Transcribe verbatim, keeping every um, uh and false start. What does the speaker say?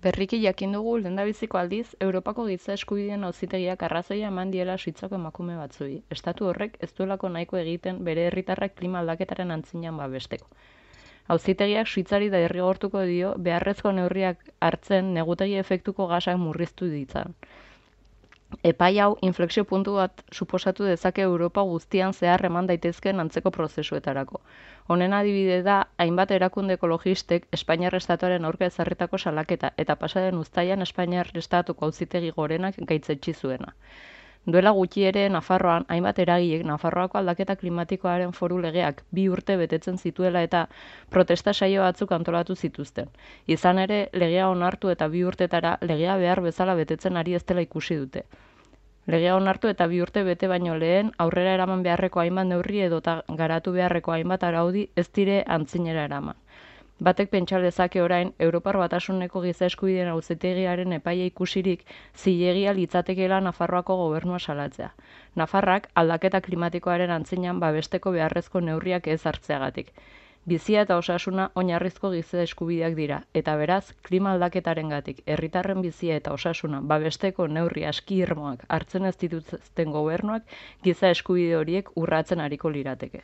Berriki jakin dugu lehendabiziko aldiz, Europako Giza Eskubideen Auzitegiak arrazoia eman diela Suitzako emakume batzuei. Estatu horrek ez duelako nahiko egiten bere herritarrak klima aldaketaren antzinean babesteko. Auzitegiak Suitzari derrigortuko dio beharrezko neurriak hartzen negutegi efektuko gasak murriztu ditzan. Epai hau inflexio puntu bat suposatu dezake Europa guztian zehar eman daitezkeen antzeko prozesuetarako. Honen adibide da, hainbat erakunde ekologistek Espainiar Estatuaren aurka ezarritako salaketa eta pasaden uztailan Espainiar Estatuko Auzitegi Gorenak gaitzetsi zuena. Duela gutxi ere Nafarroan, hainbat eragilek Nafarroako aldaketa klimatikoaren foru legeak bi urte betetzen zituela eta protesta saio batzuk antolatu zituzten. Izan ere, legea onartu eta bi urtetara legea behar bezala betetzen ari ez dela ikusi dute. Legea onartu eta bi urte bete baino lehen aurrera eraman beharreko hainbat neurri edota garatu beharreko hainbat araudi ez dire antzinera eraman. Batek pentsa lezake orain, Europar Batasuneko Giza Eskubideen Auzitegiaren epaia ikusirik zilegia litzatekeela Nafarroako gobernua salatzea. Nafarrak aldaketa klimatikoaren antzinean babesteko beharrezko neurriak ez hartzeagatik. Bizia eta osasuna oinarrizko giza eskubideak dira, eta beraz, klima aldaketarengatik herritarren bizia eta osasuna babesteko neurri aski irmoak hartzen ez dituzten gobernuak giza eskubide horiek urratzen ariko lirateke.